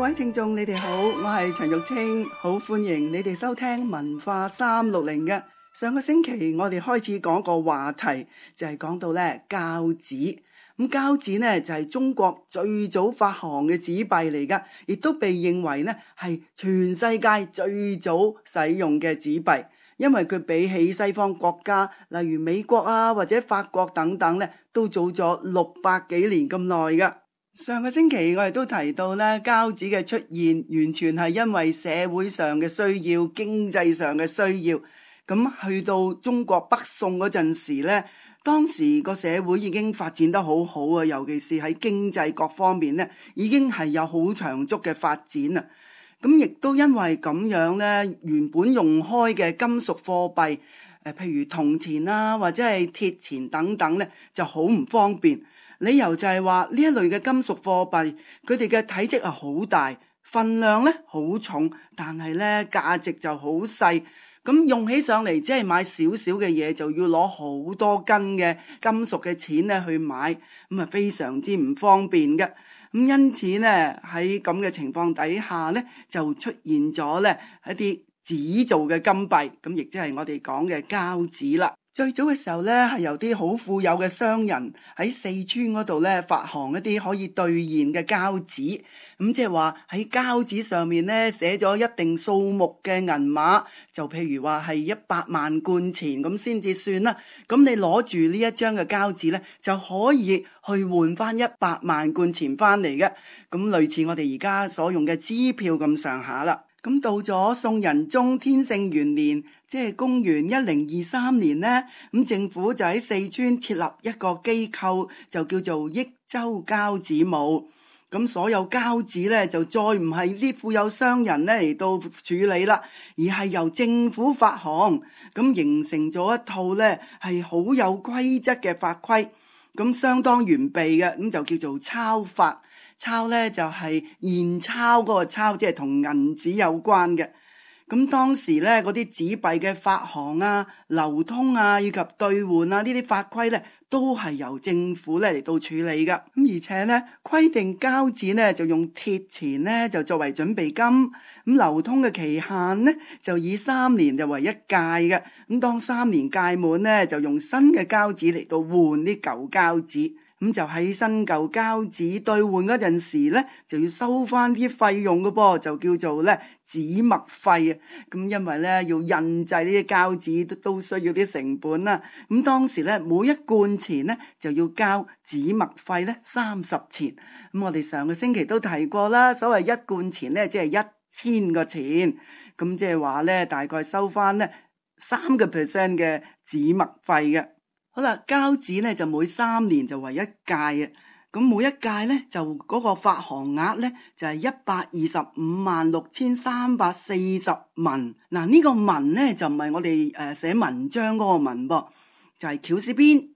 位聽眾你哋好，我係陳玉清，好歡迎你哋收聽文化360嘅。上個星期我哋開始講個話題，就係講到咧膠紙。咁膠紙呢就係中國最早發行嘅紙幣嚟噶，亦都被認為呢係全世界最早使用嘅紙幣，因為佢比起西方國家，例如美國啊或者法國等等呢，都早咗600幾年咁耐噶。上個星期我哋都提到咧，膠紙嘅出現完全係因為社會上嘅需要、經濟上嘅需要。咁去到中國北宋嗰陣時咧，當時個社會已經發展得好好啊，尤其是喺經濟各方面咧，已經係有好長足嘅發展啊。咁亦都因為咁樣咧，原本用開嘅金屬貨幣，譬如銅錢啊或者係鐵錢等等咧，就好唔方便。理由就係話呢一類嘅金屬貨幣，佢哋嘅體積係好大，份量咧好重，但係咧價值就好細。咁用起上嚟，只係買少少嘅嘢，就要攞好多斤嘅金屬嘅錢咧去買，咁啊非常之唔方便嘅。咁因此咧喺咁嘅情況底下咧，就出現咗咧一啲紙做嘅金幣，咁亦即係我哋講嘅膠紙啦。最早嘅時候咧，係由啲好富有嘅商人喺四川嗰度咧發行一啲可以兌現嘅膠紙，咁即係話喺膠紙上面咧寫咗一定數目嘅銀碼，就譬如話係100萬貫錢咁先至算啦。咁你攞住呢一張嘅膠紙咧，就可以去換翻100萬貫錢翻嚟嘅，咁類似我哋而家所用嘅支票咁上下啦。咁到咗宋仁宗天聖元年，即係公元1023年呢，咁政府就喺四川設立一個機構，就叫做益州膠紙務。咁所有膠紙咧就再唔係啲富有商人咧嚟到處理啦，而係由政府發行，咁形成咗一套咧係好有規則嘅法規，咁相當完備嘅，咁就叫做鈔法。鈔咧就係現鈔嗰個鈔，即係同銀紙有關嘅。咁當時咧嗰啲紙幣嘅發行啊、流通啊以及兌換啊呢啲法規咧，都係由政府咧嚟到處理噶。咁而且咧規定膠紙咧就用鐵錢咧就作為準備金，咁流通嘅期限咧就以3年就為一屆嘅。咁當3年屆滿咧，就用新嘅膠紙嚟到換啲舊膠紙。咁就喺新舊膠紙兌換嗰陣時咧，就要收翻啲費用嘅噃，就叫做咧紙墨費啊。咁因為咧要印製呢啲膠紙都需要啲成本啦。咁當時咧每一貫錢咧就要交紙墨費咧30錢。咁我哋上個星期都提過啦，所謂一貫錢咧即係1000個錢，咁即係話咧大概收翻咧3% 嘅紙墨費嘅。好啦，膠紙咧就每3年就為一屆嘅，咁每一屆咧就嗰個發行額咧就係1256340文。嗱，呢個文咧就唔係我哋寫文章嗰個文噃，就係絞絲邊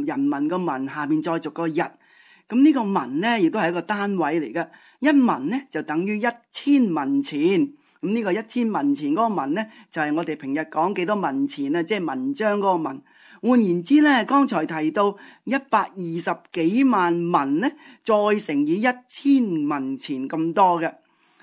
人民個文下面再續個日。咁呢個文咧亦都係一個單位嚟嘅，一文咧就等於1000文錢。咁呢個1000文錢嗰個文咧就係我哋平日講幾多文錢啊，即係文章嗰個文。換言之咧，剛才提到120幾萬文咧，再乘以1000文錢咁多嘅。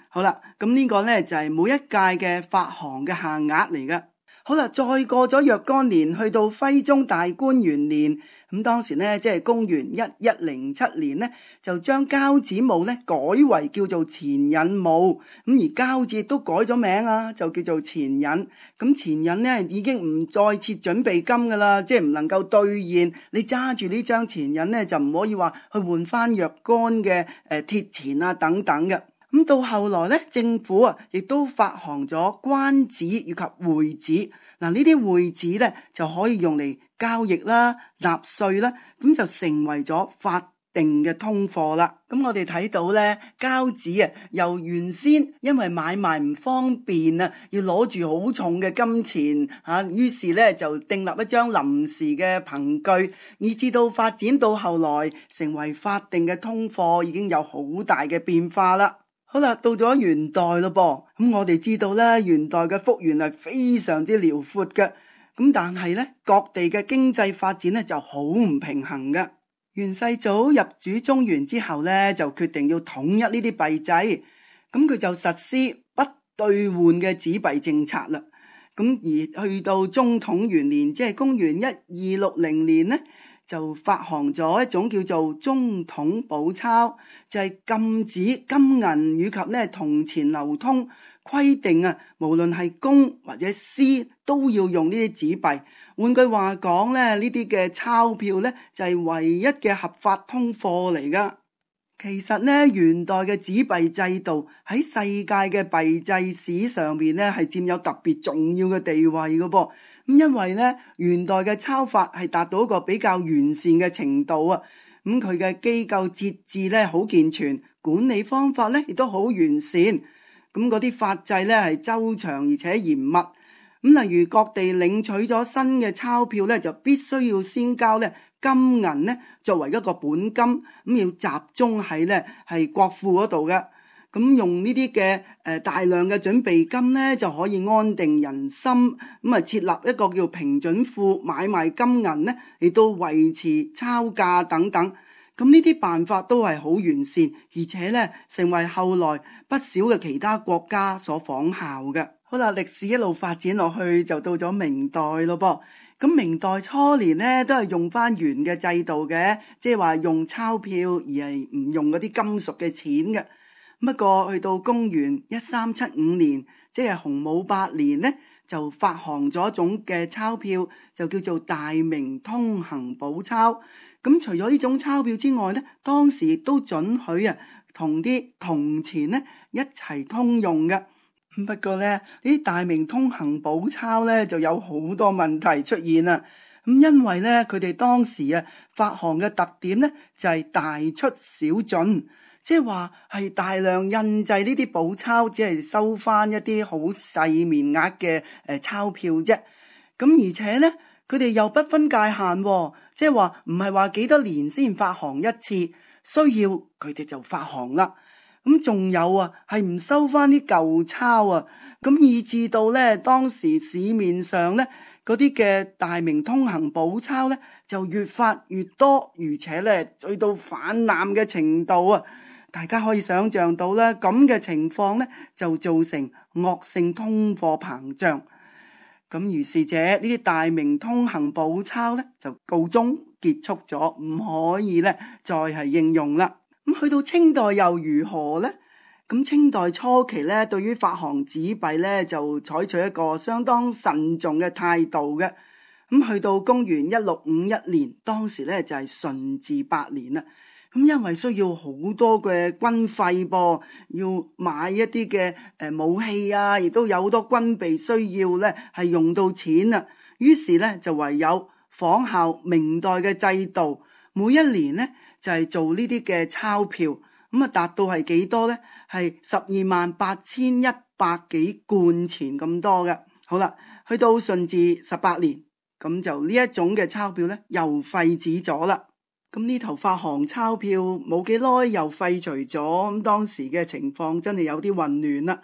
好啦，咁呢個咧就係每一屆嘅發行嘅限額嚟嘅。好啦，再過咗若干年，去到徽宗大觀元年，咁當時咧即係公元1107年咧，就將膠紙務咧改為叫做錢引務，咁而膠紙都改咗名啊，就叫做錢引。咁錢引咧已經唔再設準備金噶啦，即係唔能夠兌現。你揸住呢張錢引咧，就唔可以話去換翻若干嘅鐵錢啊等等嘅。咁到後來咧，政府啊亦都發行咗關紙以及匯紙。嗱，呢啲匯紙咧就可以用嚟交易啦、納稅啦，咁就成為咗法定嘅通貨啦。咁我哋睇到咧，膠紙啊，由原先因為買賣唔方便啊，要攞住好重嘅金錢嚇，於是咧就訂立一張臨時嘅憑據，以至到發展到後來成為法定嘅通貨，已經有好大嘅變化啦。好啦，到咗元代咯噃，咁我哋知道咧，元代嘅幅員係非常之遼闊嘅，咁但係咧，各地嘅經濟發展咧就好唔平衡嘅。元世祖入主中原之後咧，就決定要統一呢啲幣制，咁佢就實施不兌換嘅紙幣政策啦。咁而去到中統元年，即係公元1260年呢，就發行咗一種叫做中統寶鈔，就係禁止金銀以及咧銅錢流通，規定啊，無論係公或者私都要用呢啲紙幣。換句話講咧，呢啲嘅鈔票咧就係唯一嘅合法通貨嚟噶。其實咧，元代嘅紙幣制度喺世界嘅幣制史上邊咧係佔有特別重要嘅地位噶噃。咁因為咧，元代嘅鈔法係達到一個比較完善嘅程度啊。咁佢嘅機構節制咧好健全，管理方法咧亦都好完善。咁嗰啲法制咧係周詳而且嚴密。咁例如各地領取咗新嘅鈔票咧，就必須要先交咧金銀咧作為一個本金，咁要集中喺咧係國庫嗰度嘅。咁用呢啲嘅大量嘅準備金咧，就可以安定人心。咁啊設立一個叫平準庫，買賣金銀咧，亦都維持鈔價等等。咁呢啲辦法都係好完善，而且咧成為後來不少嘅其他國家所仿效嘅。好啦，歷史一路發展落去，就到咗明代咯噃。咁明代初年咧都係用翻元嘅制度嘅，即係話用鈔票而係唔用嗰啲金屬嘅錢嘅。不過去到公元1375年，即係洪武8年呢，就發行咗一種嘅鈔票，就叫做大明通行寶鈔。咁除咗呢種鈔票之外呢，當時亦都准許啊同啲銅錢呢一齊通用嘅。不過呢啲大明通行寶鈔呢就有好多問題出現啦。咁因為呢佢哋當時啊發行嘅特點呢就係大出小進，即係話係大量印製呢啲寶鈔，只係收翻一啲好細面額嘅鈔票啫。咁而且呢佢哋又不分界限，即係話唔係話幾多年先發行一次，需要佢哋就發行啦。咁仲有啊，係唔收翻啲舊鈔啊，咁以至到咧當時市面上咧嗰啲嘅大明通行寶鈔咧就越發越多，而且咧去到泛濫嘅程度啊，大家可以想象到咧咁嘅情況咧就造成惡性通貨膨脹。咁於是者呢啲大明通行寶鈔咧就告終結束咗，唔可以咧再係應用啦。咁去到清代又如何呢？咁清代初期咧，對於發行紙幣咧就採取一個相當慎重嘅態度嘅。咁去到公元1651年，當時咧就係順治8年啦。咁因為需要好多嘅軍費噃，要買一啲嘅武器啊，亦都有好多軍備需要咧，係用到錢啊。於是咧就唯有仿效明代嘅制度，每一年咧就係做呢啲嘅鈔票，咁啊達到係幾多呢？係128100幾貫錢咁多嘅。好啦，去到順治18年，咁就呢一種嘅鈔票呢又廢止咗啦。咁呢頭發行鈔票冇幾耐又廢除咗，咁當時嘅情況真係有啲混亂啦。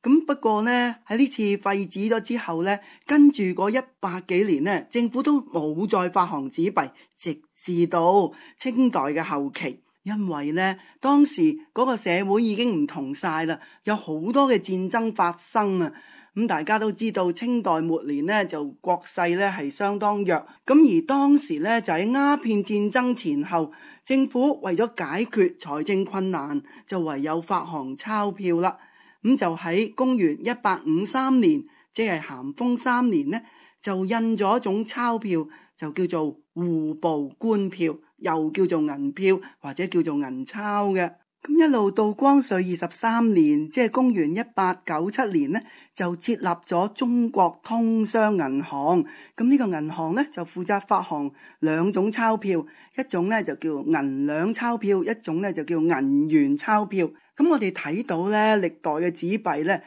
咁不過呢喺呢次廢止咗之後呢，跟住嗰100幾年呢，政府都冇再發行紙幣，直至到清代嘅後期。因為呢當時嗰個社會已經唔同晒啦，有好多嘅戰爭發生啊。咁大家都知道清代末年呢就國勢呢係相當弱，咁而當時呢就喺鴉片戰爭前後，政府為咗解決財政困難，就唯有發行鈔票啦。咁就喺公元1853年，即係咸豐3年呢，就印咗一種鈔票，就叫做戶部官票，又叫做銀票或者叫做銀鈔嘅。咁一路到光緒23年，即係公元1897年呢，就設立咗中國通商銀行。咁呢個銀行呢，就負責發行兩種鈔票，一種呢就叫銀兩鈔票，一種呢就叫銀元鈔票。咁我哋睇到呢歷代嘅紙幣呢，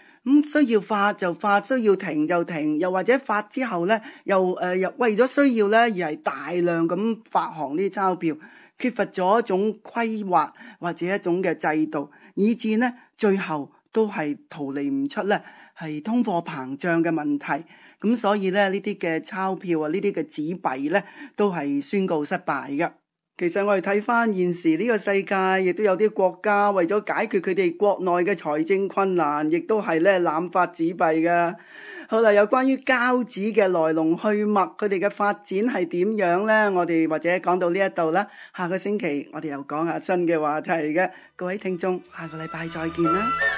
需要發就發，需要停就停，又或者發之後呢，又為咗需要呢而係大量咁發行呢啲鈔票，缺乏咗一種規劃或者一種嘅制度，以致呢最後都係逃離唔出呢係通貨膨脹嘅問題。咁所以呢啲嘅鈔票啊，呢啲嘅紙幣呢都係宣告失敗嘅。其實我哋睇翻現時呢個世界，亦都有啲國家為咗解決佢哋國內嘅財政困難，亦都係咧濫發紙幣噶。好啦，有關於膠紙嘅來龍去脈，佢哋嘅發展係點樣呢？我哋或者講到呢一度啦，下個星期我哋又講下新嘅話題嘅。各位聽眾，下個禮拜再見啦。